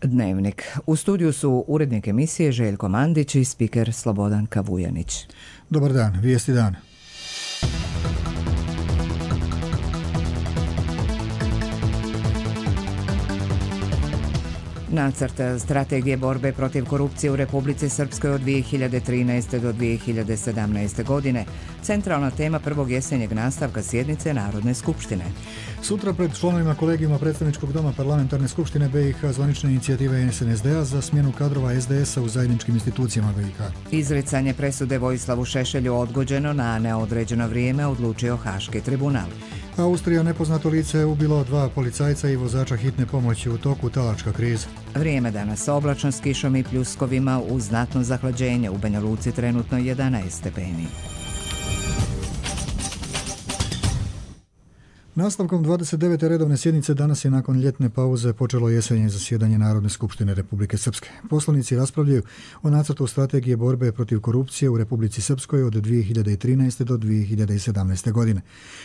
Dnevnik. U studiju su urednik emisije Željko Mandić i spiker Slobodan Kavujanić. Dobar dan, vijesti dana. Nacrt strategije borbe protiv korupcije u Republici Srpskoj od 2013. do 2017. godine. Centralna tema prvog jesenjeg nastavka sjednice Narodne skupštine. Sutra pred članovima kolegijuma Predstavničkog doma Parlamentarne skupštine BiH zvanične inicijative SNSD-a za smjenu kadrova SDS-a u zajedničkim institucijama BiH. Izricanje presude Vojislavu Šešelju odgođeno na neodređeno vrijeme odlučio Haški tribunal. Austrija nepoznato lice ubilo 2 policajca i vozača hitne pomoći u toku talačka kriza. Vrijeme danas oblačno s kišom i pljuskovima uz znatno zahlađenje. U Banja Luci trenutno 11 stepeni. Nastavkom 29. redovne sjednice danas je nakon ljetne pauze počelo jesenje zasjedanje Narodne skupštine Republike Srpske. Poslanici raspravljaju o nacrtu strategije borbe protiv korupcije u Republici Srpskoj od 2013. do 2017. godine.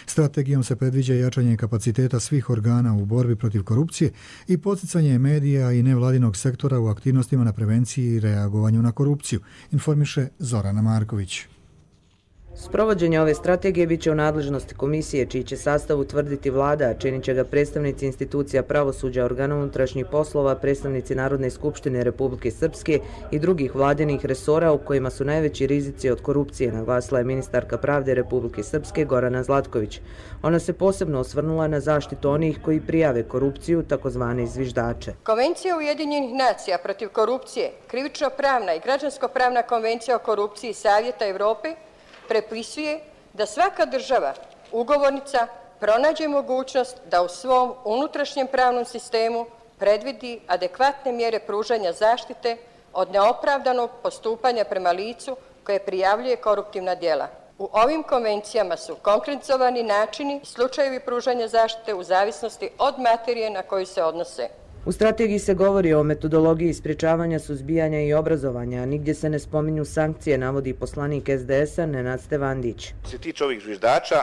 Strategijom se predviđa jačanje kapaciteta svih organa u borbi protiv korupcije i poticanje medija i nevladinog sektora u aktivnostima na prevenciji i reagovanju na korupciju, informiše Zorana Marković. Sprovođenje ove strategije bit će u nadležnosti komisije, čiji će sastav utvrditi vlada, a činit će ga predstavnici institucija pravosuđa, organa unutrašnjih poslova, predstavnici Narodne skupštine Republike Srpske i drugih vladinih resora u kojima su najveći rizici od korupcije, naglasila je ministarka pravde Republike Srpske Gorana Zlatković. Ona se posebno osvrnula na zaštitu onih koji prijave korupciju, takozvane zviždače. Konvencija Ujedinjenih nacija protiv korupcije, krivično-pravna i građansko-pravna konvencija o korupciji Savjeta Evrope prepisuje da svaka država, ugovornica, pronađe mogućnost da u svom unutrašnjem pravnom sistemu predvidi adekvatne mjere pružanja zaštite od neopravdanog postupanja prema licu koje prijavljuje koruptivna djela. U ovim konvencijama su konkretizovani načini i slučajevi pružanja zaštite u zavisnosti od materije na koju se odnose. U strategiji se govori o metodologiji sprječavanja, suzbijanja i obrazovanja, a nigdje se ne spominju sankcije, navodi poslanik SDS-a Nenad Stevandić. Što se tiče ovih zviždača,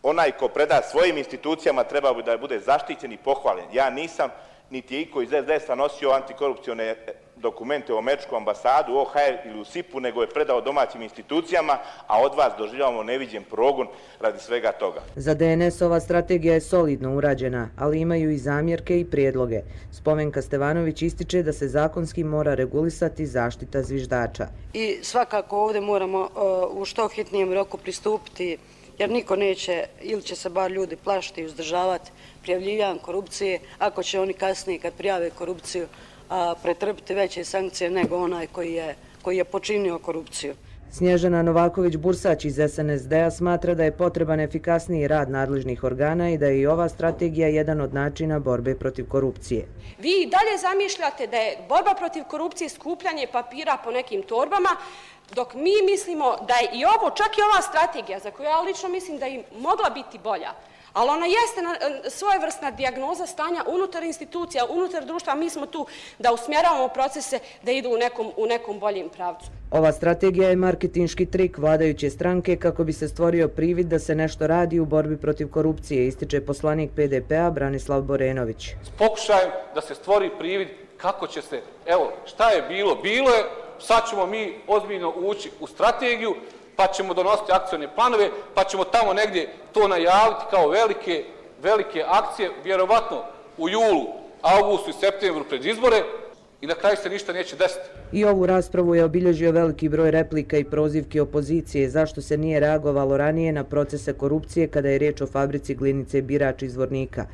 onaj ko preda svojim institucijama treba da bude zaštićen i pohvaljen. Ja nisam, niti je iko iz SDS-a nosio antikorupcione dokumente u američku ambasadu, OHR ili u SIP-u, nego je predao domaćim institucijama, a od vas doživljavamo neviđen progon radi svega toga. Za DNS ova strategija je solidno urađena, ali imaju i zamjerke i prijedloge. Spomenka Stevanović ističe da se zakonski mora regulisati zaštita zviždača. I svakako ovdje moramo u što hitnijem roku pristupiti, jer niko neće, ili će se bar ljudi plašiti i uzdržavati prijavljivanjem korupcije, ako će oni kasnije kad prijave korupciju pretrpiti veće sankcije nego onaj koji je počinio korupciju. Snježana Novaković-Bursać iz SNSD-a smatra da je potreban efikasniji rad nadležnih organa i da je i ova strategija jedan od načina borbe protiv korupcije. Vi i dalje zamišljate da je borba protiv korupcije skupljanje papira po nekim torbama, dok mi mislimo da je i ovo, čak i ova strategija, za koju ja lično mislim da je mogla biti bolja, ali ona jeste svojevrsna dijagnoza stanja unutar institucija, unutar društva. Mi smo tu da usmjeravamo procese da idu u nekom boljem pravcu. Ova strategija je marketinški trik vladajuće stranke kako bi se stvorio privid da se nešto radi u borbi protiv korupcije, ističe poslanik PDP-a Branislav Borenović. S pokušajem da se stvori privid kako će se, evo, šta je bilo? Bilo je, sad ćemo mi ozbiljno ući u strategiju, pa ćemo donositi akcione planove, pa ćemo tamo negdje to najaviti kao velike akcije, vjerovatno u julu, avgustu i septembru pred izbore i na kraju se ništa neće desiti. I ovu raspravu je obilježio veliki broj replika i prozivki opozicije zašto se nije reagovalo ranije na procese korupcije kada je riječ o fabrici glinice Birač iz Zvornika.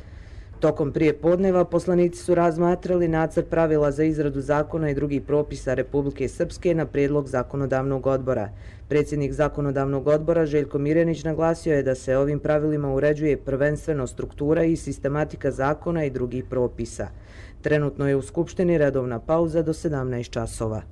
Tokom prijepodneva poslanici su razmatrali nacrt pravila za izradu zakona i drugih propisa Republike Srpske na prijedlog zakonodavnog odbora. Predsjednik zakonodavnog odbora Željko Mirjanić naglasio je da se ovim pravilima uređuje prvenstveno struktura i sistematika zakona i drugih propisa. Trenutno je u Skupštini redovna pauza do 17 časova.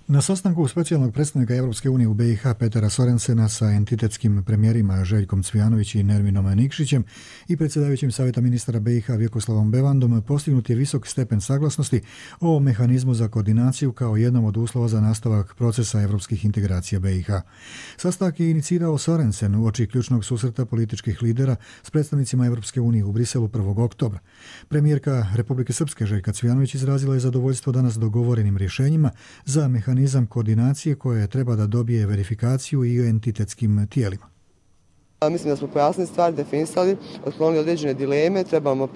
Na sastanku specijalnog predstavnika Europske unije u BiH Petera Sorensena sa entitetskim premijerima Željkom Cvijanović i Nerminom Nikšićem i predsjedavajućim Savjeta ministara BiH Vjekoslavom Bevandom postignut je visok stepen saglasnosti o mehanizmu za koordinaciju kao jednom od uslova za nastavak procesa europskih integracija BiH. Sastanak je inicirao Sorensen uoči ključnog susreta političkih lidera s predstavnicima Europske unije u Briselu 1. oktobra. Premijerka Republike Srpske Željka Cvijanović izrazila je zadovoljstvo danas dogovorenim rješenjima za mehanizam koordinacije koje treba da dobije verifikaciju i entitetskim tijelima. Mislim da smo pojasnili stvari, definisali, otklonili određene dileme. Trebamo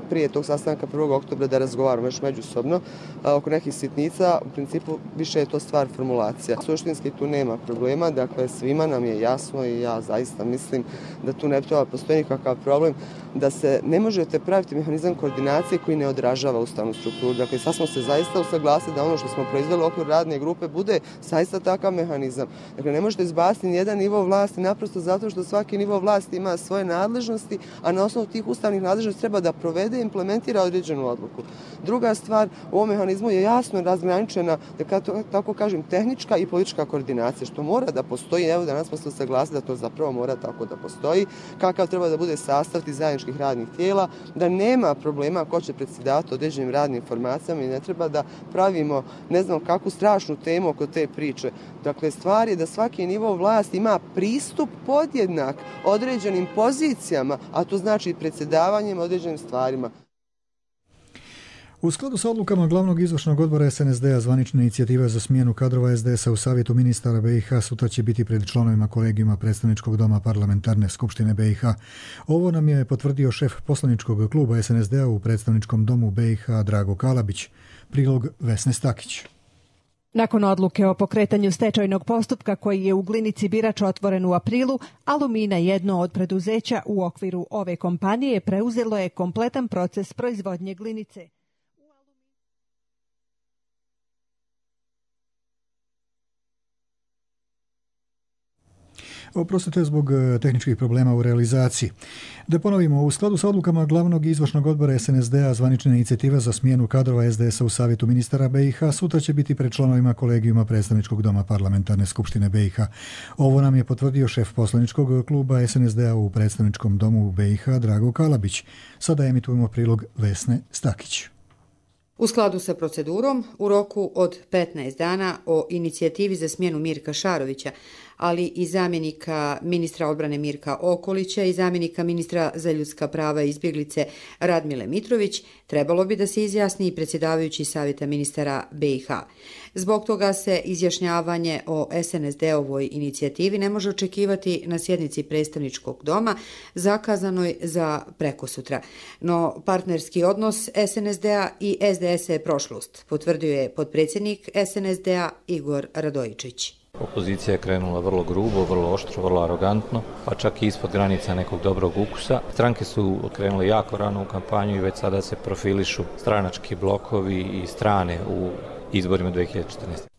prije tog sastanka 1. oktobra da razgovaramo još međusobno oko nekih sitnica. U principu više je to stvar formulacija. Suštinski tu nema problema, dakle svima nam je jasno i ja zaista mislim da tu ne treba postoji nikakav problem da se ne možete praviti mehanizam koordinacije koji ne odražava ustavnu strukturu. Dakle, sad smo se zaista usaglasili da ono što smo proizveli u okviru radne grupe bude zaista takav mehanizam. Dakle, ne možete izbaciti nijedan nivo vlasti naprosto zato što svaki nivo vlasti ima svoje nadležnosti, a na osnovu tih ustavnih nadležnosti treba da provede i implementira određenu odluku. Druga stvar, u ovom mehanizmu je jasno razgraničena, da tako kažem, tehnička i politička koordinacija, što mora da postoji. Evo danas smo se usaglasili da to zapravo mora tako da postoji. Kakav treba da bude sastav tih zajedničkih radnih tijela, da nema problema ko će predsjedavati određenim radnim informacijama i ne treba da pravimo ne znam kakvu strašnu temu oko te priče. Dakle, stvar je da svaki nivo vlasti ima pristup podjednak određenim pozicijama, a to znači predsjedavanjem određenim stvarima. U skladu sa odlukama glavnog izvršnog odbora SNSD-a zvanična inicijativa za smjenu kadrova SDS-a u Savjetu ministara BiH sutra će biti pred članovima kolegijuma predstavničkog doma Parlamentarne skupštine BiH. Ovo nam je potvrdio šef poslaničkog kluba SNSD-a u predstavničkom domu BiH Drago Kalabić. Prilog Vesne Stakić. Nakon odluke o pokretanju stečajnog postupka koji je u Glinici Birač otvoren u aprilu, Alumina, jedno od preduzeća u okviru ove kompanije, preuzelo je kompletan proces proizvodnje glinice. Oprostite zbog tehničkih problema u realizaciji. Da ponovimo, u skladu sa odlukama glavnog izvršnog odbora SNSD-a zvanična inicijativa za smjenu kadrova SDS-a u Savjetu ministara BiH sutra će biti pred članovima kolegijuma predstavničkog doma Parlamentarne skupštine BiH. Ovo nam je potvrdio šef poslaničkog kluba SNSD-a u predstavničkom domu BiH Drago Kalabić. Sada emitujemo prilog Vesne Stakić. U skladu sa procedurom, u roku od 15 dana o inicijativi za smjenu Mirka Šarovića, ali i zamjenika ministra odbrane Mirka Okolića i zamjenika ministra za ljudska prava i izbjeglice Radmile Mitrović, trebalo bi da se izjasni i predsjedavajući Savjeta ministara BiH. Zbog toga se izjašnjavanje o SNSD-ovoj inicijativi ne može očekivati na sjednici predstavničkog doma zakazanoj za prekosutra. No partnerski odnos SNSD-a i SDS-a je prošlost, potvrdio je potpredsjednik SNSD-a Igor Radojičić. Opozicija je krenula vrlo grubo, vrlo oštro, vrlo arogantno, pa čak i ispod granica nekog dobrog ukusa. Stranke su krenule jako rano u kampanju i već sada se profilišu stranački blokovi i strane u izborima 2014.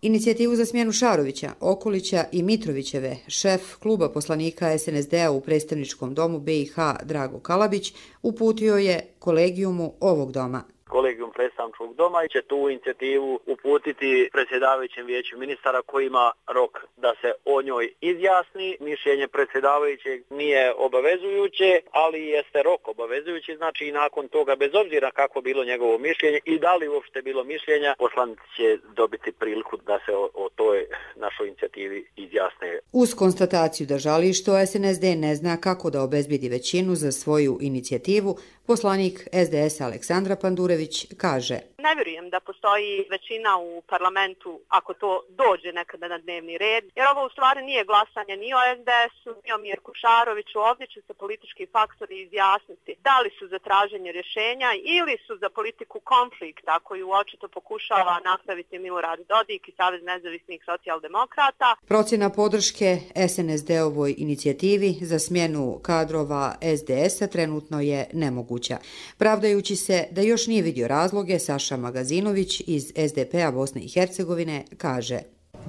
Inicijativu za smjenu Šarovića, Okolića i Mitrovićeve šef kluba poslanika SNSD-a u predstavničkom domu BiH Drago Kalabić uputio je kolegijumu ovog doma. Kolegijum predstavničkog doma će tu inicijativu uputiti predsjedavajućem vijeću ministara koji ima rok da se o njoj izjasni. Mišljenje predsjedavajućeg nije obavezujuće, ali jeste rok obavezujući, znači i nakon toga, bez obzira kako bilo njegovo mišljenje i da li uopšte bilo mišljenja, poslanici će dobiti priliku da se o toj našoj inicijativi izjasne. Uz konstataciju da žali što SNSD ne zna kako da obezbedi većinu za svoju inicijativu, poslanik SDS Aleksandra Pandurević kaže: Ne vjerujem da postoji većina u parlamentu ako to dođe nekada na dnevni red, jer ovo u stvari nije glasanje ni o SDS-u, ni o Mirku Šaroviću. Ovdje će se politički faktori izjasniti da li su za traženje rješenja ili su za politiku konflikta koju očito pokušava nastaviti Milorad Dodik i Savez nezavisnih socijaldemokrata. Procjena podrške SNSD-ovoj inicijativi za smjenu kadrova SDS-a trenutno je nemoguća. Pravdajući se da još nije vidio razloge, Saša Magazinović iz SDP-a Bosne i Hercegovine kaže: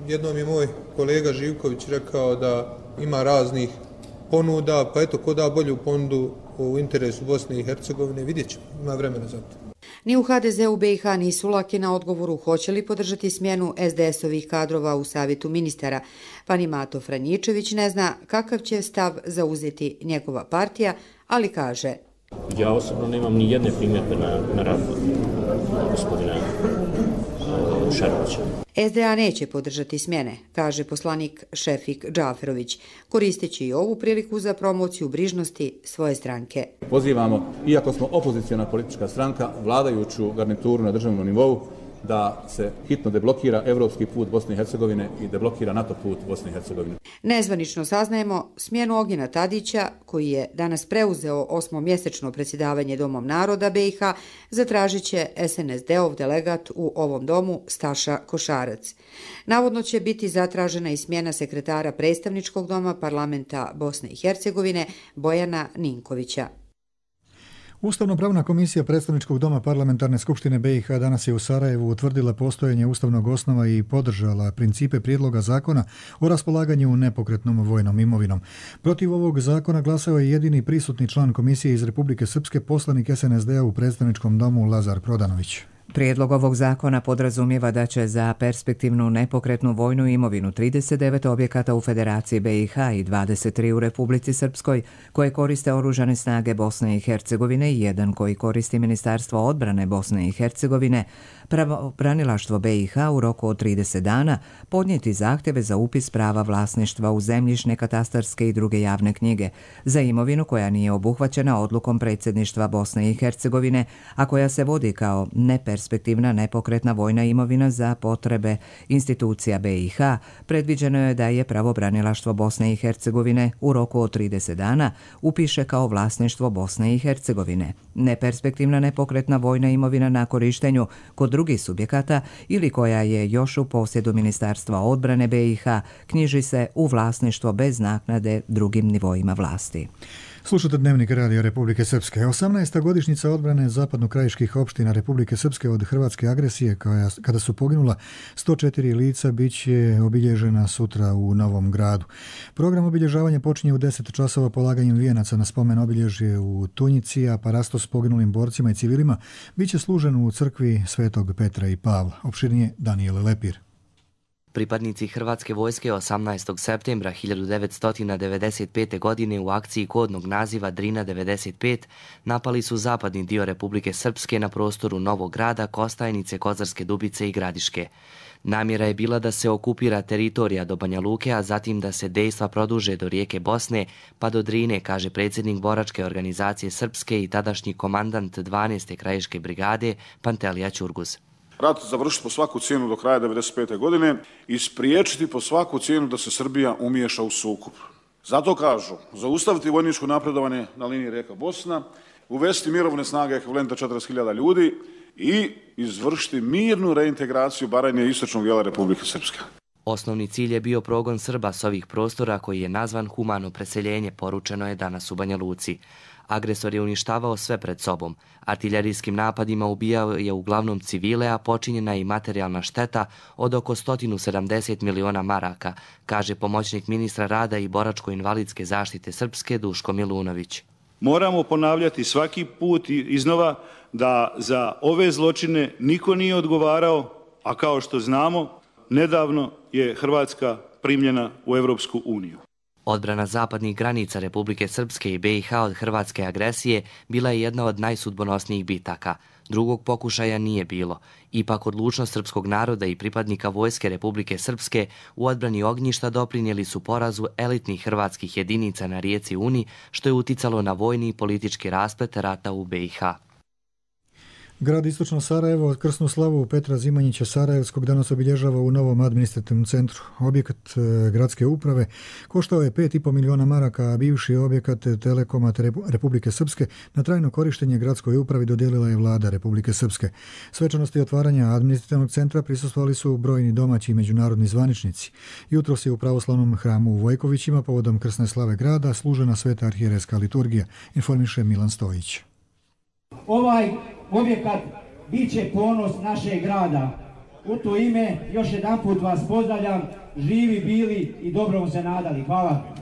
Jednom je moj kolega Živković rekao da ima raznih ponuda, pa eto ko da bolju ponudu u interesu Bosne i Hercegovine, vidjet ćemo, ima vremena za to. Ni u HDZ-u BiH nisu laki na odgovoru hoće li podržati smjenu SDS-ovih kadrova u savjetu ministara, pa ni Mato Franjičević ne zna kakav će stav zauzeti njegova partija, ali kaže: Ja osobno nemam ni jedne primjedbe na rad gospodina Šarovića. SDA neće podržati smjene, kaže poslanik Šefik Džaferović, koristeći i ovu priliku za promociju brižnosti svoje stranke. Pozivamo, iako smo opozicijona politička stranka, vladajuću garnituru na državnom nivou, da se hitno deblokira evropski put Bosne i Hercegovine i deblokira NATO put Bosne i Hercegovine. Nezvanično saznajemo smjenu Ognjena Tadića, koji je danas preuzeo 8-mjesečno predsjedavanje Domom naroda BiH, zatražit će SNSD-ov delegat u ovom domu Staša Košarac. Navodno će biti zatražena i smjena sekretara predstavničkog doma parlamenta Bosne i Hercegovine Bojana Ninkovića. Ustavno-pravna komisija predstavničkog doma Parlamentarne skupštine BiH danas je u Sarajevu utvrdila postojanje ustavnog osnova i podržala principe prijedloga zakona o raspolaganju nepokretnom vojnom imovinom. Protiv ovog zakona glasao je jedini prisutni član komisije iz Republike Srpske, poslanik SNSD-a u predstavničkom domu Lazar Prodanović. Prijedlog ovog zakona podrazumijeva da će za perspektivnu nepokretnu vojnu imovinu 39 objekata u Federaciji BiH i 23 u Republici Srpskoj koje koriste oružane snage Bosne i Hercegovine i jedan koji koristi Ministarstvo odbrane Bosne i Hercegovine, pravobranilaštvo BiH u roku od 30 dana podnijeti zahtjeve za upis prava vlasništva u zemljišne, katastarske i druge javne knjige za imovinu koja nije obuhvaćena odlukom predsjedništva Bosne i Hercegovine, a koja se vodi kao neperspektivna nepokretna vojna imovina za potrebe institucija BiH. Predviđeno je da je pravobranilaštvo Bosne i Hercegovine u roku od 30 dana upiše kao vlasništvo Bosne i Hercegovine. Neperspektivna nepokretna vojna imovina na korištenju kod drugih subjekata ili koja je još u posjedu Ministarstva odbrane BiH knjiži se u vlasništvo bez naknade drugim nivoima vlasti. Slušate Dnevnik Radio Republike Srpske. 18. godišnjica odbrane zapadno-krajiških opština Republike Srpske od hrvatske agresije, kada su poginula 104 lica, bit će obilježena sutra u Novom Gradu. Program obilježavanja počinje u 10 časova polaganjem vijenaca na spomen obilježje u Tunjici, a parasto s poginulim borcima i civilima bit će služen u crkvi Svetog Petra i Pavla. Opširnije Danijel Lepir. Pripadnici Hrvatske vojske 18. septembra 1995. godine u akciji kodnog naziva Drina 95 napali su zapadni dio Republike Srpske na prostoru Novog Grada, Kostajnice, Kozarske Dubice i Gradiške. Namjera je bila da se okupira teritorija do Banja Luke, a zatim da se dejstva produže do rijeke Bosne pa do Drine, kaže predsjednik boračke organizacije Srpske i tadašnji komandant 12. krajiške brigade Pantelija Ćurguz. Rat završiti po svaku cijenu do kraja 1995. godine i spriječiti po svaku cijenu da se Srbija umiješa u sukob. Zato kažu, zaustaviti vojničko napredovanje na liniji rijeka Bosna, uvesti mirovne snage ekvivalenta 40.000 ljudi i izvršiti mirnu reintegraciju Baranje i istočnog dijela Republike Srpske. Osnovni cilj je bio progon Srba s ovih prostora koji je nazvan humano preseljenje, poručeno je danas u Banja Luci. Agresor je uništavao sve pred sobom. Artiljerijskim napadima ubijao je uglavnom civile, a počinjena je i materijalna šteta od oko 170 miliona maraka, kaže pomoćnik ministra rada i boračko-invalidske zaštite Srpske Duško Milunović. Moramo ponavljati svaki put iznova da za ove zločine niko nije odgovarao, a kao što znamo, nedavno je Hrvatska primljena u Europsku uniju. Odbrana zapadnih granica Republike Srpske i BiH od hrvatske agresije bila je jedna od najsudbonosnijih bitaka. Drugog pokušaja nije bilo. Ipak odlučnost srpskog naroda i pripadnika vojske Republike Srpske u odbrani ognjišta doprinijeli su porazu elitnih hrvatskih jedinica na rijeci Uni, što je uticalo na vojni i politički rasplet rata u BiH. Grad Istočno Sarajevo od krsnu slavu Petra Zimanjića Sarajevskog danas obilježava u novom administrativnom centru. Objekat gradske uprave koštao je 5,5 miliona maraka, a bivši objekat Telekoma Republike Srpske na trajno korištenje gradskoj upravi dodijelila je vlada Republike Srpske. Svečanosti otvaranja administrativnog centra prisustvovali su brojni domaći i međunarodni zvaničnici. Jutros je u pravoslavnom hramu u Vojkovićima povodom krsne slave grada služena sveta arhijerejska liturgija, informiše Milan Stojić. Ovaj objekat bit će ponos našeg grada. U to ime još jedanput vas pozdravljam, živi bili i dobrom se nadali. Hvala.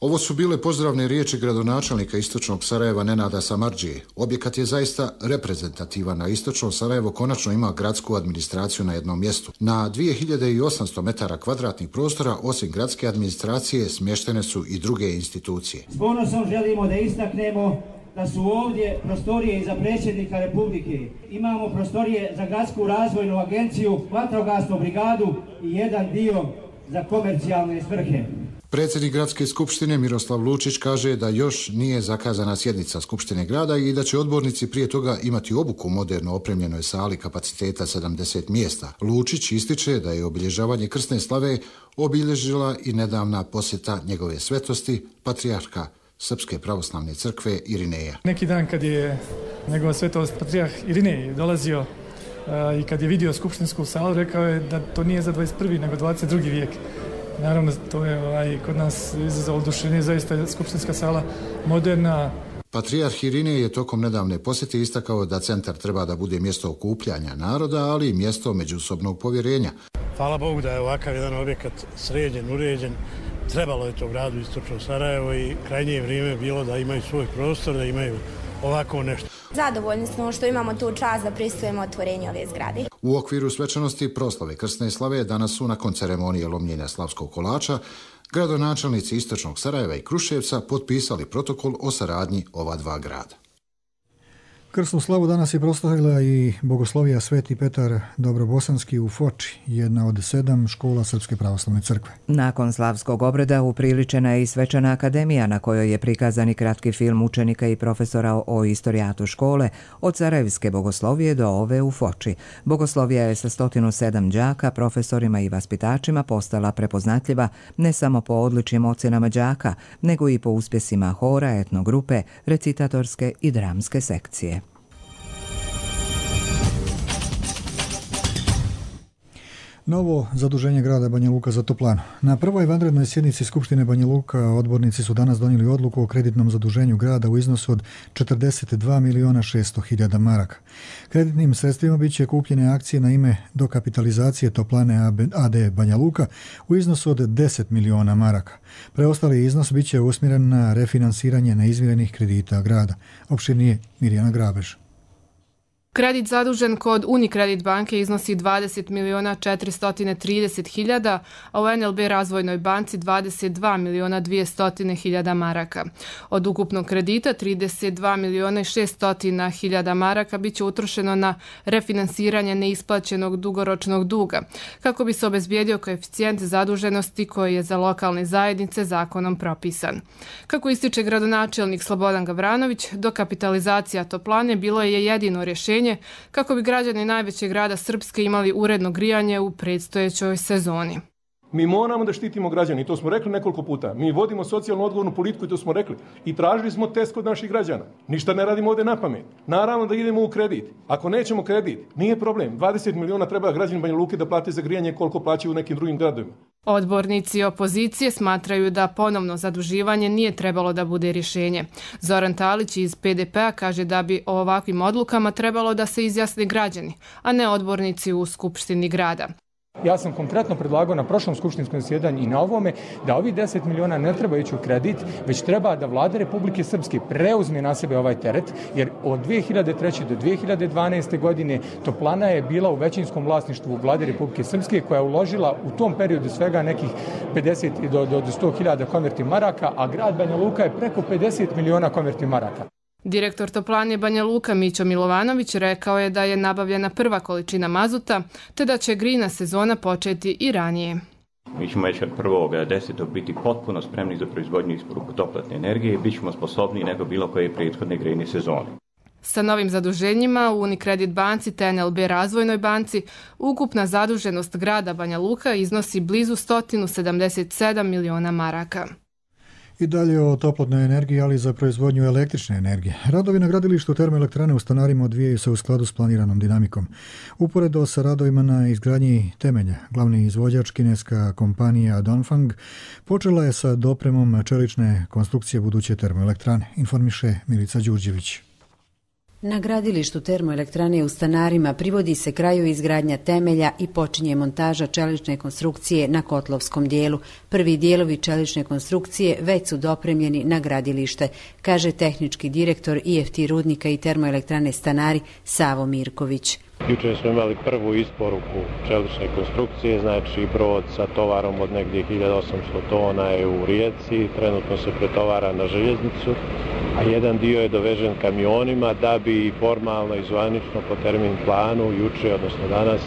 Ovo su bile pozdravne riječi gradonačelnika istočnog Sarajeva Nenada Samardžije. Objekat je zaista reprezentativan, na istočno Sarajevo konačno ima gradsku administraciju na jednom mjestu. Na 2800 metara kvadratnih prostora, osim gradske administracije, smještene su i druge institucije. S ponosom želimo da istaknemo da su ovdje prostorije i za predsjednika Republike. Imamo prostorije za gradsku razvojnu agenciju, vatrogasnu brigadu i jedan dio za komercijalne svrhe. Predsjednik gradske skupštine Miroslav Lučić kaže da još nije zakazana sjednica skupštine grada i da će odbornici prije toga imati obuku u moderno opremljenoj sali kapaciteta 70 mjesta. Lučić ističe da je obilježavanje krsne slave obilježila i nedavna posjeta njegove svetosti, patrijarha Srpske pravoslavne crkve Irineja. Neki dan kad je njegova svetost patrijarh Irinej dolazio i kad je vidio skupštinsku salu, rekao je da to nije za 21. nego 22. vijek. Naravno, to je kod nas izazvalo oduševljenje, zaista je skupštinska sala moderna. Patrijarh Irinej je tokom nedavne posjete istakao da centar treba da bude mjesto okupljanja naroda, ali i mjesto međusobnog povjerenja. Hvala Bogu da je ovakav jedan objekat sređen, uređen. Trebalo je to gradu istočno Sarajevo i krajnje vrijeme bilo da imaju svoj prostor, da imaju ovako nešto. Zadovoljni smo što imamo tu čast da prisustvujemo otvorenju ove zgrade. U okviru svečanosti proslave krsne slave danas su nakon ceremonije lomljenja slavskog kolača gradonačelnici istočnog Sarajeva i Kruševca potpisali protokol o saradnji ova dva grada. Krsnu slavu danas je proslavila i Bogoslovija Sveti Petar Dobrobosanski u Foči, jedna od 7 škola Srpske pravoslavne crkve. Nakon slavskog obreda upriličena je i svečana akademija na kojoj je prikazan i kratki film učenika i profesora o istorijatu škole od Sarajevske Bogoslovije do ove u Foči. Bogoslovija je sa 107 đaka, profesorima i vaspitačima postala prepoznatljiva ne samo po odličnim ocjenama đaka, nego i po uspjesima hora, etnogrupe, recitatorske i dramske sekcije. Novo zaduženje grada Banja Luka za toplanu. Na prvoj vanrednoj sjednici Skupštine Banja Luka odbornici su danas donijeli odluku o kreditnom zaduženju grada u iznosu od 42.600.000 maraka. Kreditnim sredstvima bit će kupljene akcije na ime dokapitalizacije toplane AD Banja Luka u iznosu od 10 miliona maraka. Preostali iznos bit će usmjeren na refinansiranje neizmirenih kredita grada. Opširnije Mirjana Grabež. Kredit zadužen kod Unicredit banke iznosi 20.430.000, a u NLB razvojnoj banci 22.200.000 maraka. Od ukupnog kredita 32.600.000 maraka bit će utrošeno na refinansiranje neisplaćenog dugoročnog duga, kako bi se obezbijedio koeficijent zaduženosti koji je za lokalne zajednice zakonom propisan. Kako ističe gradonačelnik Slobodan Gavranović, dokapitalizacija toplane bilo je jedino rješenje kako bi građani najvećeg grada Srpske imali uredno grijanje u predstojećoj sezoni. Mi moramo da štitimo građane i to smo rekli nekoliko puta. Mi vodimo socijalno odgovornu politiku i to smo rekli. I tražili smo test kod naših građana. Ništa ne radimo ovdje na pamet. Naravno da idemo u kredit. Ako nećemo kredit, nije problem. 20 miliona treba građani Banja Luke da plate za grijanje koliko plaćaju u nekim drugim gradovima. Odbornici opozicije smatraju da ponovno zaduživanje nije trebalo da bude rješenje. Zoran Talić iz PDP-a kaže da bi o ovakvim odlukama trebalo da se izjasne građani, a ne odbornici u Skupštini grada. Ja sam konkretno predlagao na prošlom skupštinskom zasjedanju i na ovome da ovih 10 miliona ne treba ići u kredit, već treba da Vlada Republike Srpske preuzme na sebe ovaj teret, jer od 2003. do 2012. godine toplana je bila u većinskom vlasništvu Vlade Republike Srpske, koja je uložila u tom periodu svega nekih 50 do 100.000 konverti maraka, a grad Banja Luka je preko 50 miliona konverti maraka. Direktor toplane Banja Luka Mićo Milovanović rekao je da je nabavljena prva količina mazuta, te da će grejna sezona početi i ranije. Mi ćemo već od 1.10. biti potpuno spremni za proizvodnju i isporuku toplotne energije i bit ćemo sposobniji nego bilo koje prethodne grejne sezone. Sa novim zaduženjima u Unicredit banci te NLB razvojnoj banci ukupna zaduženost grada Banja Luka iznosi blizu 177 miliona maraka. I dalje o toplotnoj energiji, ali za proizvodnju električne energije. Radovi na gradilištu termoelektrane u Stanarima odvijaju se u skladu s planiranom dinamikom. Uporedo sa radovima na izgradnji temelja, glavni izvođač kineska kompanija Dongfang počela je sa dopremom čelične konstrukcije buduće termoelektrane, informiše Milica Đurđević. Na gradilištu termoelektrane u Stanarima privodi se kraju izgradnja temelja i počinje montaža čelične konstrukcije na kotlovskom dijelu. Prvi dijelovi čelične konstrukcije već su dopremljeni na gradilište, kaže tehnički direktor IFT rudnika i termoelektrane Stanari Savo Mirković. Jučer smo imali prvu isporuku čelične konstrukcije, znači brod sa tovarom od negdje 1800 tona je u Rijeci, trenutno se pretovara na željeznicu, a jedan dio je dovežen kamionima da bi formalno i zvanično po termin planu juče, odnosno danas,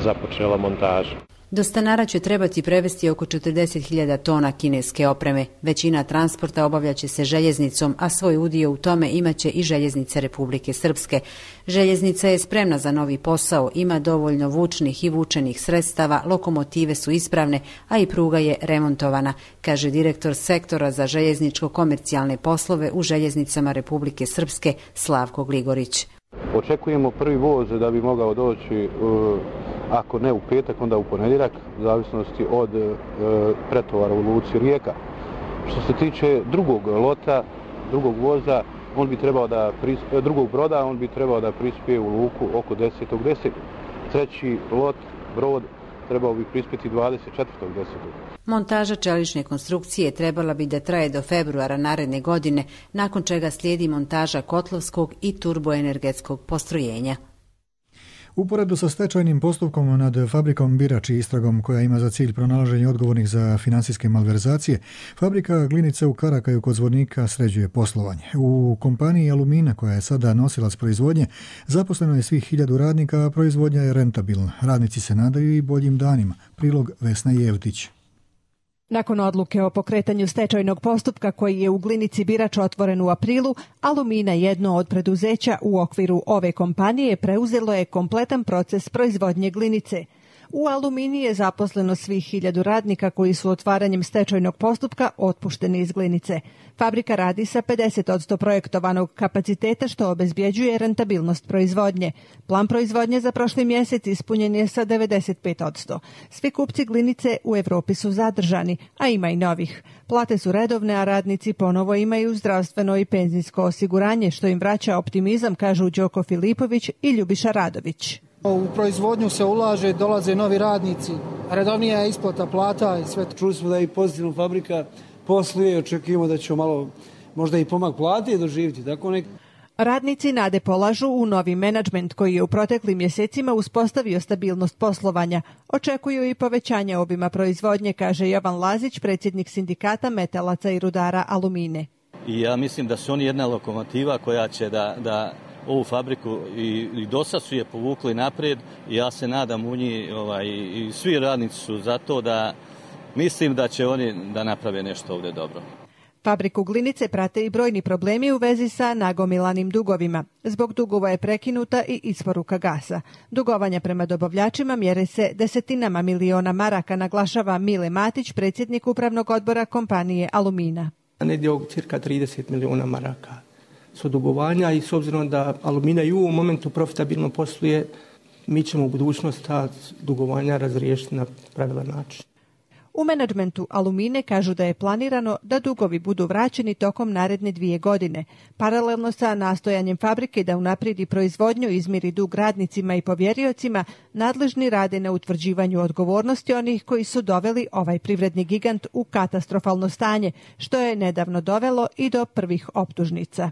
započela montaža. Do Stanara će trebati prevesti oko 40.000 tona kineske opreme. Većina transporta obavljaće se željeznicom, a svoj udio u tome imaće i željeznice Republike Srpske. Željeznica je spremna za novi posao, ima dovoljno vučnih i vučenih sredstava, lokomotive su ispravne, a i pruga je remontovana, kaže direktor sektora za željezničko-komercijalne poslove u željeznicama Republike Srpske Slavko Gligorić. Očekujemo prvi voz da bi mogao doći, ako ne u petak, onda u ponedjeljak, u zavisnosti od pretovara u luci Rijeka. Što se tiče drugog lota, drugog voza, drugog broda, on bi trebao da prispije u luku oko 10.10. Treći lot, brod, trebao bi prispjeti 24.10. Montaža čelične konstrukcije trebala bi da traje do februara naredne godine, nakon čega slijedi montaža kotlovskog i turboenergetskog postrojenja. Uporedu sa stečajnim postupkom nad fabrikom Birač i istragom koja ima za cilj pronalaženje odgovornih za financijske malverzacije, fabrika glinice u Karakaju kod Zvornika sređuje poslovanje. U kompaniji Alumina, koja je sada nosilac proizvodnje, zaposleno je svih 1000 radnika, a proizvodnja je rentabilna. Radnici se nadaju i boljim danima. Prilog Vesna Jevtić. Nakon odluke o pokretanju stečajnog postupka koji je u glinici Birač otvoren u aprilu, Alumina, jedno od preduzeća u okviru ove kompanije, preuzelo je kompletan proces proizvodnje glinice. U Alumini je zaposleno svih 1000 radnika koji su otvaranjem stečajnog postupka otpušteni iz glinice. Fabrika radi sa 50% projektovanog kapaciteta što obezbjeđuje rentabilnost proizvodnje. Plan proizvodnje za prošli mjesec ispunjen je sa 95%. Svi kupci glinice u Evropi su zadržani, a ima i novih. Plate su redovne, a radnici ponovo imaju zdravstveno i penzijsko osiguranje, što im vraća optimizam, kažu Đoko Filipović i Ljubiša Radović. U proizvodnju se ulaže, dolaze novi radnici, redovnija je isplata plata i sve. Čuli smo da je i pozitivno fabrika posluje, očekujemo da će malo možda i pomak plate doživjeti. Radnici nade polažu u novi menadžment koji je u proteklim mjesecima uspostavio stabilnost poslovanja. Očekuju i povećanje obima proizvodnje, kaže Jovan Lazić, predsjednik sindikata metalaca i rudara Alumine. I ja mislim da su oni jedna lokomotiva koja će da ovu fabriku i dosad su je povukli naprijed i ja se nadam u njih i svi radnici su za to da mislim da će oni da naprave nešto ovdje dobro. Fabriku glinice prate i brojni problemi u vezi sa nagomilanim dugovima. Zbog dugova je prekinuta i isporuka gasa. Dugovanja prema dobavljačima mjere se desetinama miliona maraka, naglašava Mile Matić, predsjednik upravnog odbora kompanije Alumina. Negdje oko cirka 30 miliona maraka su dugovanja i s obzirom da Alumina i u ovom momentu profitabilno posluje, mi ćemo u budućnosti ta dugovanja razriješiti na pravilan način. U menadžmentu Alumine kažu da je planirano da dugovi budu vraćeni tokom naredne 2 godine. Paralelno sa nastojanjem fabrike da unaprijedi proizvodnju i izmiri dug radnicima i povjeriocima, nadležni rade na utvrđivanju odgovornosti onih koji su doveli ovaj privredni gigant u katastrofalno stanje, što je nedavno dovelo i do prvih optužnica.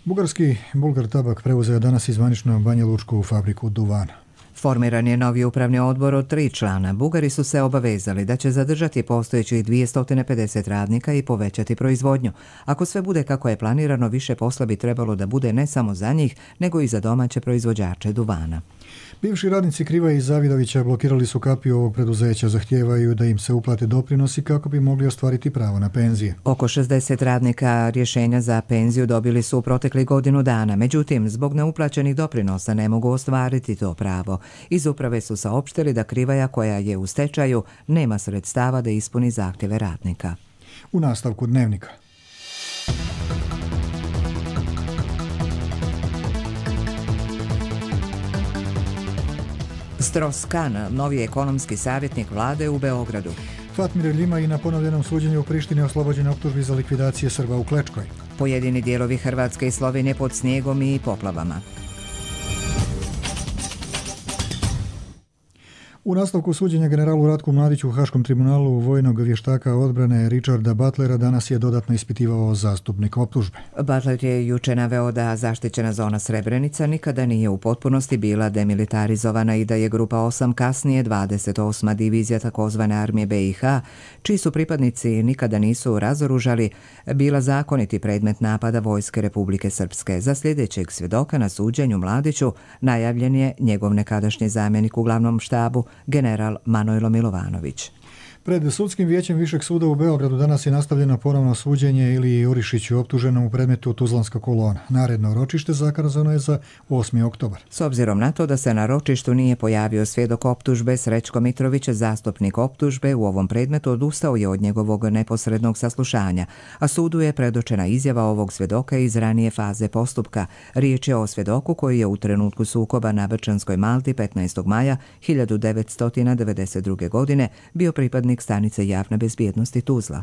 Bugarski Bulgar Tabak preuzeo danas izvanično banjalučku fabriku duvana. Formiran je novi upravni odbor od 3 člana. Bugari su se obavezali da će zadržati postojećih 250 radnika i povećati proizvodnju. Ako sve bude kako je planirano, više posla bi trebalo da bude ne samo za njih, nego i za domaće proizvođače duvana. Bivši radnici Kriva i Zavidovića blokirali su kapiju ovog preduzeća, zahtijevaju da im se uplate doprinosi kako bi mogli ostvariti pravo na penzije. Oko 60 radnika rješenja za penziju dobili su u proteklih godinu dana, međutim, zbog neuplaćenih doprinosa ne mogu ostvariti to pravo. Iz uprave su saopštili da Krivaja, koja je u stečaju, nema sredstava da ispuni zahtjeve radnika. U nastavku Dnevnika. Stros-Kan, novi ekonomski savjetnik vlade u Beogradu. Fatmir Ljima i na ponovljenom suđenju u Prištini oslobođen optužbi za likvidacije Srba u Klečkoj. Pojedini dijelovi Hrvatske i Slovenije pod snijegom i poplavama. U nastavku suđenja generalu Ratku Mladiću u Haškom tribunalu vojnog vještaka odbrane Richarda Butlera danas je dodatno ispitivao zastupnik optužbe. Butler je juče naveo da zaštićena zona Srebrenica nikada nije u potpunosti bila demilitarizovana i da je grupa 8 kasnije 28. divizija takozvane armije BiH, čiji su pripadnici nikada nisu razoružali, bila zakoniti predmet napada vojske Republike Srpske. Za sljedećeg svjedoka na suđenju Mladiću najavljen je njegov nekadašnji zamjenik u glavnom štabu, general Manojlo Milovanović. Pred sudskim vijećem Višeg suda u Beogradu danas je nastavljeno ponovno suđenje Iliji Jurišiću optuženom u predmetu Tuzlanska kolona. Naredno ročište zakazano je za 8. oktobar. S obzirom na to da se na ročištu nije pojavio svjedok optužbe, Srećko Mitrović, zastupnik optužbe u ovom predmetu, odustao je od njegovog neposrednog saslušanja, a sudu je predočena izjava ovog svjedoka iz ranije faze postupka. Riječ je o svjedoku koji je u trenutku sukoba na Brčanskoj Malti 15. maja 1992. godine bio pripadnik stanice javne bezbjednosti Tuzla.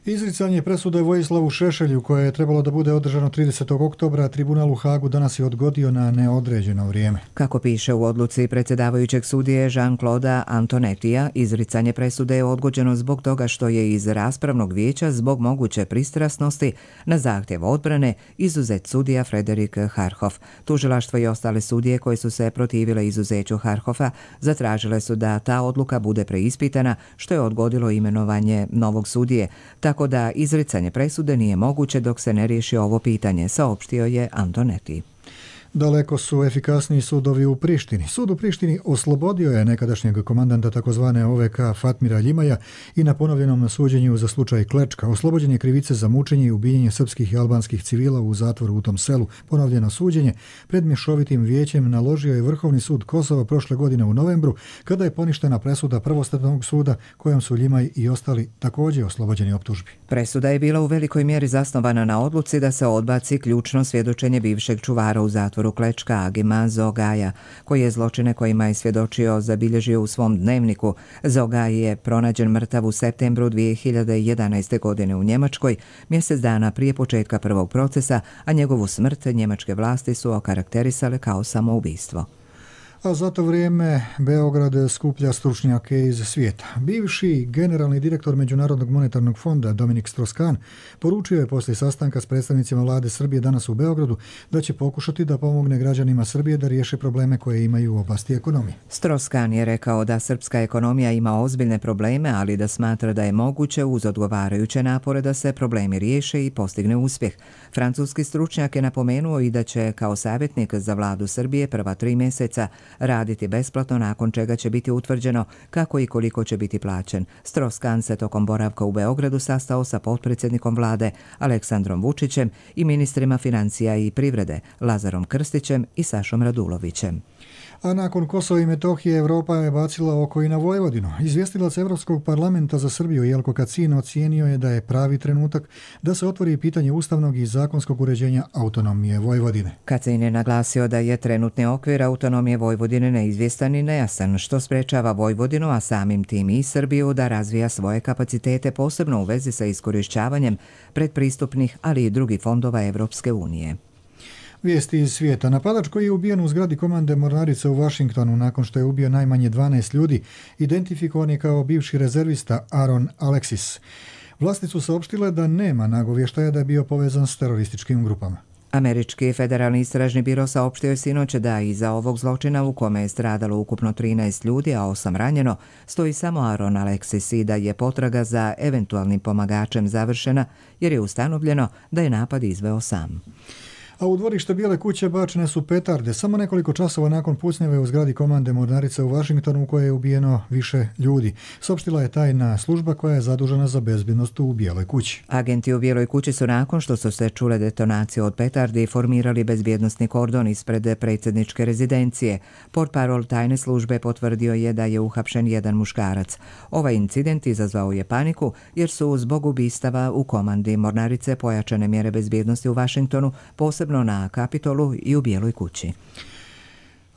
Izricanje presude Vojislavu Šešelju, koje je trebalo da bude održano 30. oktobra, tribunal u Hagu danas je odgodio na neodređeno vrijeme. Kako piše u odluci predsjedavajućeg sudije Jean-Claude Antonetija, izricanje presude je odgođeno zbog toga što je iz raspravnog vijeća zbog moguće pristrasnosti na zahtjev odbrane izuzet sudija Frederik Harhoff. Tužilaštvo i ostale sudije koje su se protivile izuzeću Harhoffa zatražile su da ta odluka bude preispitana, što je odgodilo imenovanje novog sudije. Tako da izricanje presude nije moguće dok se ne riješi ovo pitanje, saopštio je Antoneti. Daleko su efikasniji sudovi u Prištini. Sud u Prištini oslobodio je nekadašnjeg komandanta takozvane OVK Fatmira Ljimaja i na ponovljenom suđenju za slučaj Klečka. Oslobođen je krivice za mučenje i ubijenje srpskih i albanskih civila u zatvoru u tom selu. Ponovljeno suđenje pred mješovitim vijećem naložio je Vrhovni sud Kosova prošle godine u novembru, kada je poništena presuda Prvostepenog suda kojom su Ljimaj i ostali također oslobođeni optužbi. Presuda je bila u velikoj mjeri zasnovana na odluci da se odbaci ključno svjedočenje bivšeg čuvara u zatvoru Klečka Agima Zogaja, koji je zločine kojima je svjedočio zabilježio u svom dnevniku. Zogaj je pronađen mrtav u septembru 2011. godine u Njemačkoj, mjesec dana prije početka prvog procesa, a njegovu smrt njemačke vlasti su okarakterisale kao samoubistvo. A za to vrijeme Beograd skuplja stručnjake iz svijeta. Bivši generalni direktor Međunarodnog monetarnog fonda Dominik Strauss-Kahn poručio je poslije sastanka s predstavnicima vlade Srbije danas u Beogradu da će pokušati da pomogne građanima Srbije da riješe probleme koje imaju u oblasti ekonomije. Strauss-Kahn je rekao da srpska ekonomija ima ozbiljne probleme, ali da smatra da je moguće uz odgovarajuće napore da se problemi riješe i postigne uspjeh. Francuski stručnjak je napomenuo i da će kao savjetnik za vladu Srbije prva 3 mjeseca raditi besplatno, nakon čega će biti utvrđeno kako i koliko će biti plaćen. Strauss-Kahn se tokom boravka u Beogradu sastao sa potpredsjednikom vlade Aleksandrom Vučićem i ministrima financija i privrede Lazarom Krstićem i Sašom Radulovićem. A nakon Kosova i Metohije Europa je bacila oko i na Vojvodinu. Izvjestilac Evropskog parlamenta za Srbiju Jelko Kacin ocijenio je da je pravi trenutak da se otvori pitanje ustavnog i zakonskog uređenja autonomije Vojvodine. Kacin je naglasio da je trenutni okvir autonomije Vojvodine neizvjestan i nejasan, što sprečava Vojvodinu, a samim tim i Srbiju, da razvija svoje kapacitete, posebno u vezi sa iskorišćavanjem predpristupnih, ali i drugih fondova Evropske unije. Vijesti iz svijeta. Napadač koji je ubijen u zgradi komande mornarice u Washingtonu nakon što je ubio najmanje 12 ljudi, identifikovan je kao bivši rezervista Aaron Alexis. Vlasti su saopštile da nema nagovještaja da je bio povezan s terorističkim grupama. Američki federalni istražni biro saopštio je sinoć da iza ovog zločina, u kome je stradalo ukupno 13 ljudi, a 8 ranjeno, stoji samo Aaron Alexis i da je potraga za eventualnim pomagačem završena jer je ustanovljeno da je napad izveo sam. A u dvorište Bijele kuće bačene su petarde samo nekoliko časova nakon pucnjave u zgradi komande mornarice u Washingtonu u kojoj je ubijeno više ljudi. Saopštila je tajna služba koja je zadužena za bezbjednost u Bijeloj kući. Agenti u Bijeloj kući su nakon što su se čule detonacije od petardi formirali bezbjednosni kordon ispred predsjedničke rezidencije. Portparol tajne službe potvrdio je da je uhapšen jedan muškarac. Ovaj incident izazvao je paniku jer su zbog ubistava u komandi mornarice pojačane mjere bezbjednosti u Washingtonu, posebno na Kapitolu i u Bijeloj kući.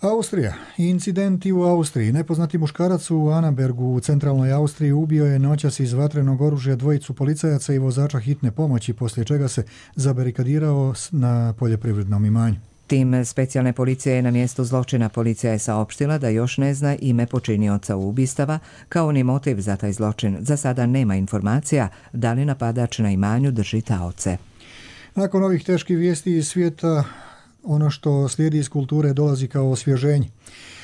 Austrija. Incidenti u Austriji. Nepoznati muškarac u Anabergu u centralnoj Austriji ubio je noćas iz vatrenog oružja dvojicu policajaca i vozača hitne pomoći, poslije čega se zabarikadirao na poljoprivrednom imanju. Tim specijalne policije je na mjestu zločina. Policija je saopštila da još ne zna ime počinioca ubistava, kao ni motiv za taj zločin. Za sada nema informacija da li napadač na imanju drži taoce. Nakon ovih teških vijesti iz svijeta, ono što slijedi iz kulture dolazi kao osvježenje.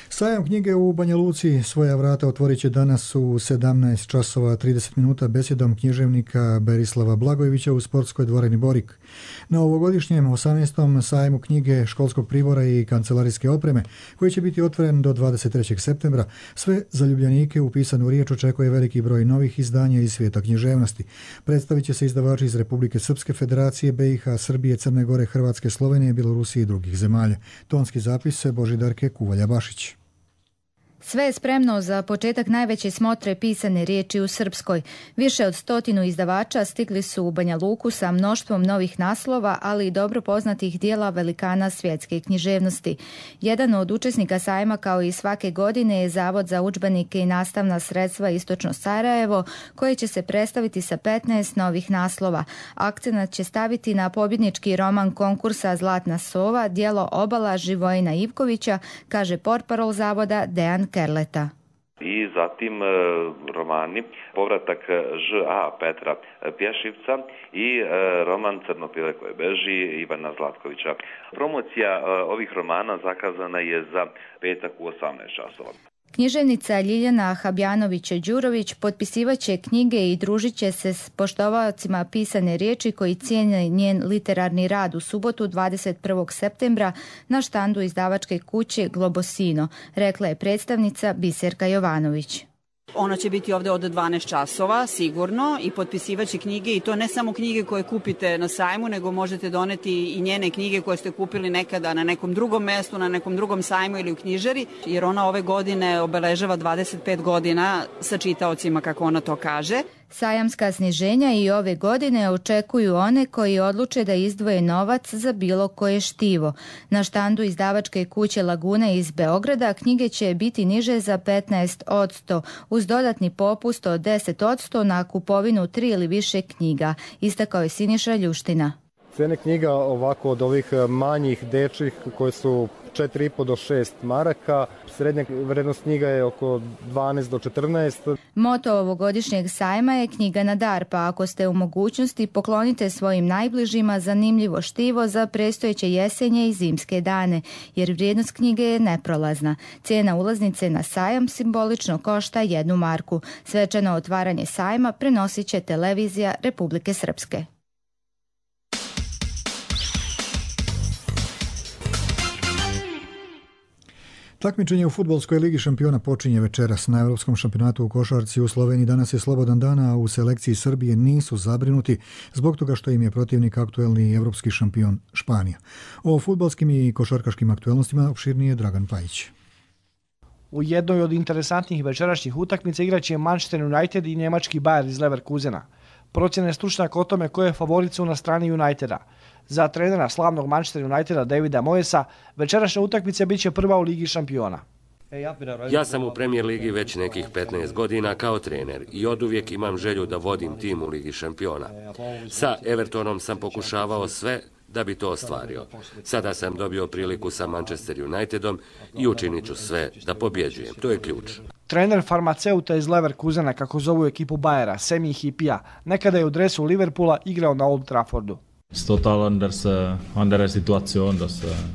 Sajam knjige u Banja Luci svoja vrata otvorit će danas u 17 časova 30 minuta besjedom književnika Berislava Blagojevića u sportskoj dvorani Borik. Na ovogodišnjem 18. sajmu knjige, školskog pribora i kancelarijske opreme, koji će biti otvoren do 23. septembra, sve zaljubljenike u pisanu riječ očekuje veliki broj novih izdanja iz svijeta književnosti. Predstavit će se izdavači iz Republike Srpske, Federacije, BiH, Srbije, Crne Gore, Hrvatske, Slovenije, Bjelorusije i drugih zemalja. Tonski zapis Božidarke Kuvalja-Bašić. Sve je spremno za početak najveće smotre pisane riječi u Srpskoj. Više od 100 izdavača stigli su u Banja Luku sa mnoštvom novih naslova, ali i dobro poznatih dijela velikana svjetske književnosti. Jedan od učesnika sajma, kao i svake godine, je Zavod za udžbenike i nastavna sredstva Istočno Sarajevo, koje će se predstaviti sa 15 novih naslova. Akcenat će staviti na pobjednički roman konkursa Zlatna sova, djelo Obala Živojina Ivkovića, kaže portparol Zavoda Dejan Kerleta. I zatim romani Povratak Ž.A. Petra Pješivca i roman Crno pile koje beži Ivana Zlatkovića. Promocija ovih romana zakazana je za petak u 18 časova. Književnica Ljiljana Habjanović-Đurović potpisivaće knjige i družit će se s poštovaocima pisane riječi koji cijene njen literarni rad u subotu 21. septembra na štandu izdavačke kuće Globosino, rekla je predstavnica Biserka Jovanović. Ona će biti ovdje od 12 časova, sigurno, i potpisivaće knjige, i to ne samo knjige koje kupite na sajmu, nego možete doneti i njene knjige koje ste kupili nekada na nekom drugom mjestu, na nekom drugom sajmu ili u knjižari, jer ona ove godine obeležava 25 godina sa čitaocima, kako ona to kaže. Sajamska sniženja i ove godine očekuju one koji odluče da izdvoje novac za bilo koje štivo. Na štandu izdavačke kuće Lagune iz Beograda knjige će biti niže za 15%, uz dodatni popust od 10% na kupovinu 3 ili više knjiga, istakao je Siniša Ljuština. Cene knjiga ovako od ovih manjih dečjih koje su 4,5 do 6 maraka, srednja vrednost knjiga je oko 12 do 14. Moto ovogodišnjeg sajma je knjiga na dar, pa ako ste u mogućnosti poklonite svojim najbližima zanimljivo štivo za predstojeće jesenje i zimske dane, jer vrijednost knjige je neprolazna. Cijena ulaznice na sajam simbolično košta 1 marku. Svečano otvaranje sajma prenosit će televizija Republike Srpske. Takmičenje u fudbalskoj ligi šampiona počinje večeras. Na Europskom šampionatu u košarci u Sloveniji danas je slobodan dan, a u selekciji Srbije nisu zabrinuti zbog toga što im je protivnik aktuelni evropski šampion Španija. O fudbalskim i košarkaškim aktuelnostima opširnije Dragan Pajić. U jednoj od interesantnih večerašnjih utakmica igraće Manchester United i njemački Bayer iz Leverkusena. Procjene stručnjaka o tome koje je favorit su na strani Uniteda. Za trenera slavnog Manchester Uniteda Davida Moyesa, večerašnja utakmica bit će prva u Ligi šampiona. Ja sam u Premier Ligi već nekih 15 godina kao trener i oduvijek imam želju da vodim tim u Ligi šampiona. Sa Evertonom sam pokušavao sve da bi to ostvario. Sada sam dobio priliku sa Manchester Unitedom i učinit ću sve da pobjeđujem. To je ključ. Trener farmaceuta iz Leverkusena, kako zovu ekipu Bayera, Semi Hipija, nekada je u dresu Liverpoola igrao na Old Traffordu.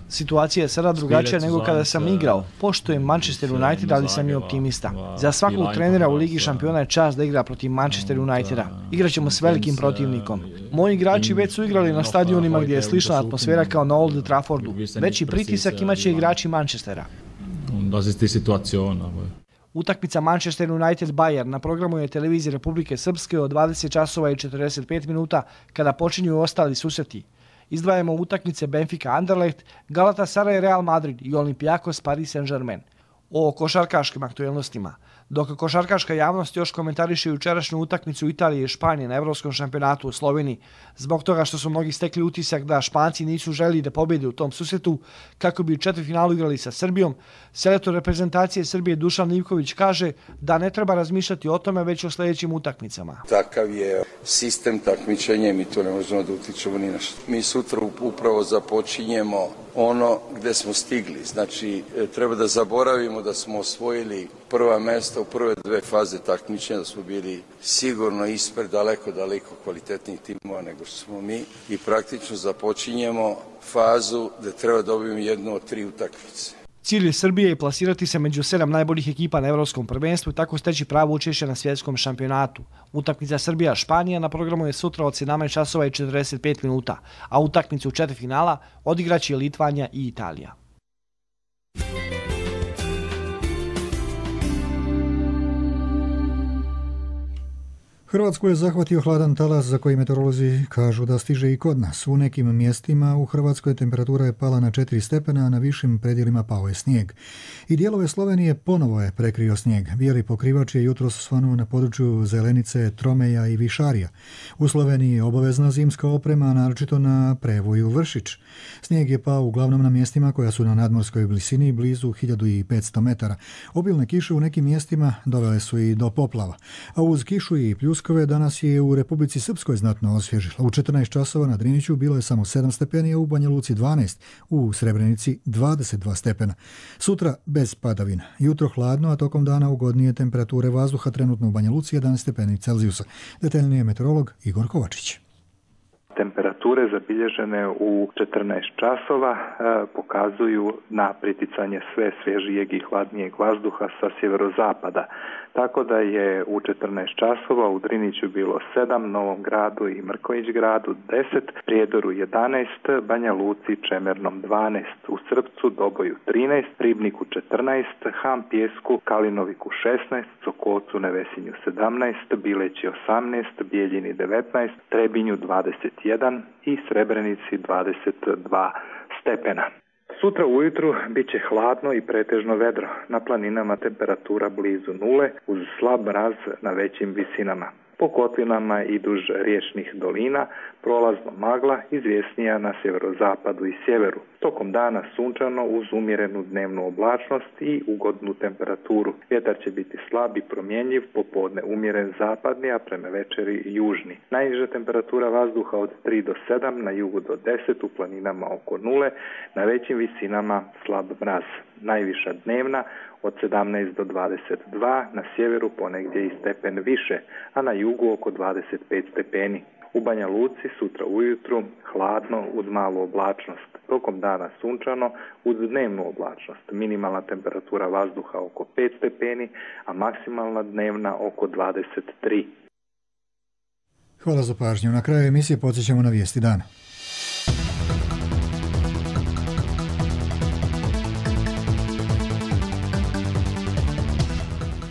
Situacija je sada drugačija nego kada sam igrao. Poštujem Manchester United, ali sam i optimista. Za svakog trenera u Ligi šampiona je čast da igra protiv Manchester Uniteda. Igraćemo s velikim protivnikom. Moji igrači već su igrali na stadionima gdje je slična atmosfera kao na Old Traffordu. Veći pritisak imaće igrači Manchestera. Utakmica Manchester United-Bayer na programu je televizije Republike Srpske od 20 časova i 45 minuta kada počinju ostali susreti. Izdvajamo utakmice Benfica Anderlecht, Galatasaray Real Madrid i Olympiakos Paris Saint-Germain. o košarkaškim aktuelnostima. Dok košarkaška javnost još komentariše jučerašnju utakmicu Italije i Španije na Evropskom šampionatu u Sloveniji, zbog toga što su mnogi stekli utisak da Španci nisu želeli da pobjede u tom susretu kako bi u četvrtfinalu igrali sa Srbijom, selektor reprezentacije Srbije Dušan Ivković kaže da ne treba razmišljati o tome već o sljedećim utakmicama. Takav je sistem takmičenja, mi to ne možemo da utičemo ni na što. Mi sutra upravo započinjemo ono gde smo stigli. Znači, treba da zaboravimo da smo osvojili prva mesta u prve dve faze takmičenja, da smo bili sigurno ispred daleko kvalitetnijih timova nego što smo mi i praktično započinjemo fazu da treba dobiti jednu od 3 utakmice. Cilj Srbije je plasirati se među 7 najboljih ekipa na Evropskom prvenstvu i tako steći pravo učešće na svjetskom šampionatu. Utakmica Srbija-Španija na programu je sutra od 17 časova i 45 minuta, a utakmicu u četvrtfinala odigraće Litvanija i Italija. Hrvatsku je zahvatio hladan talas za koji meteorolozi kažu da stiže i kod nas. U nekim mjestima u Hrvatskoj temperatura je pala na 4 stepena, a na višim predjelima pao je snijeg. I dijelove Slovenije ponovo je prekrio snijeg. Bijeli pokrivač je jutros svanuo na području Zelenice, Tromeja i Višarija. U Sloveniji je obavezna zimska oprema, naročito na Prevoju Vršić. Snijeg je pao uglavnom na mjestima koja su na nadmorskoj visini blizu 1500 metara. Obilne kiše u nekim mjestima dovele su i do poplava. A uz kišu i pljuskove danas je u Republici Srpskoj znatno osvježilo. U 14 časova na Driniću bilo je samo 7 stepeni, a u Banja Luci 12, u Srebrenici 22 stepena. Sutra bez padavina. Jutro hladno, a tokom dana ugodnije temperature vazduha, trenutno u Banja Luci 11 stepeni Celzijusa. Detaljnije meteorolog Igor Kovačić. Temperature zabilježene u 14 časova pokazuju na priticanje sve svježijeg i hladnijeg vazduha sa sjeverozapada. Tako da je u 14 časova u Driniću bilo 7, Novom Gradu i Mrkonjić Gradu 10, Prijedoru 11, Banja Luci i Čemernom 12, u Srpcu, Doboju 13, Ribniku 14, Ham Pjesku, Kalinoviku 16, Sokolcu, Nevesinju 17, Bileći 18, Bijeljini 19, Trebinju 21 i Srebrenici 22 stepena. Sutra ujutru bit će hladno i pretežno vedro. Na planinama temperatura blizu nule uz slab mraz na većim visinama. Po kotlinama i duž riječnih dolina prolazno magla, izvjesnija na sjeverozapadu i sjeveru. Tokom dana sunčano uz umjerenu dnevnu oblačnost i ugodnu temperaturu. Vjetar će biti slab i promjenjiv, popodne umjeren zapadni, a prema večeri južni. Najniža temperatura vazduha od 3 do 7, na jugu do 10, u planinama oko nule, na većim visinama slab mraz. Najviša dnevna od 17 do 22, na sjeveru ponegdje i stepen više, a na jugu oko 25 stepeni. U Banja Luci sutra ujutru hladno uz malu oblačnost. Tokom dana sunčano uz dnevnu oblačnost. Minimalna temperatura vazduha oko 5 stepeni, a maksimalna dnevna oko 23. Hvala za pažnju. Na kraju emisije podsjećamo na vijesti dana.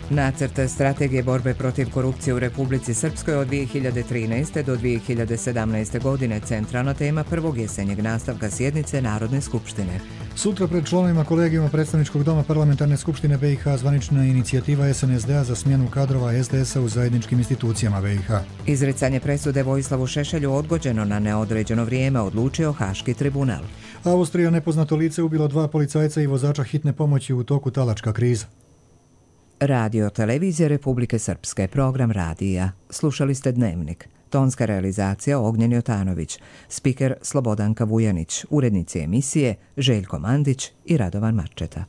Nacrt strategije borbe protiv korupcije u Republici Srpskoj od 2013. do 2017. godine centralna tema prvog jesenjeg nastavka sjednice Narodne skupštine. Sutra pred članovima kolegijuma predstavničkog doma Parlamentarne skupštine BiH zvanična inicijativa SNSD-a za smjenu kadrova SDS-a u zajedničkim institucijama BiH. Izricanje presude Vojislavu Šešelju odgođeno na neodređeno vrijeme, odlučio Haški tribunal. Austrija nepoznato lice ubilo 2 policajca i vozača hitne pomoći u toku talačka kriza. Radio Televizije Republike Srpske, program radija. Slušali ste Dnevnik. Tonska realizacija Ognjen Jotanović. Spiker Slobodanka Vujanić. Urednici emisije Željko Mandić i Radovan Marčeta.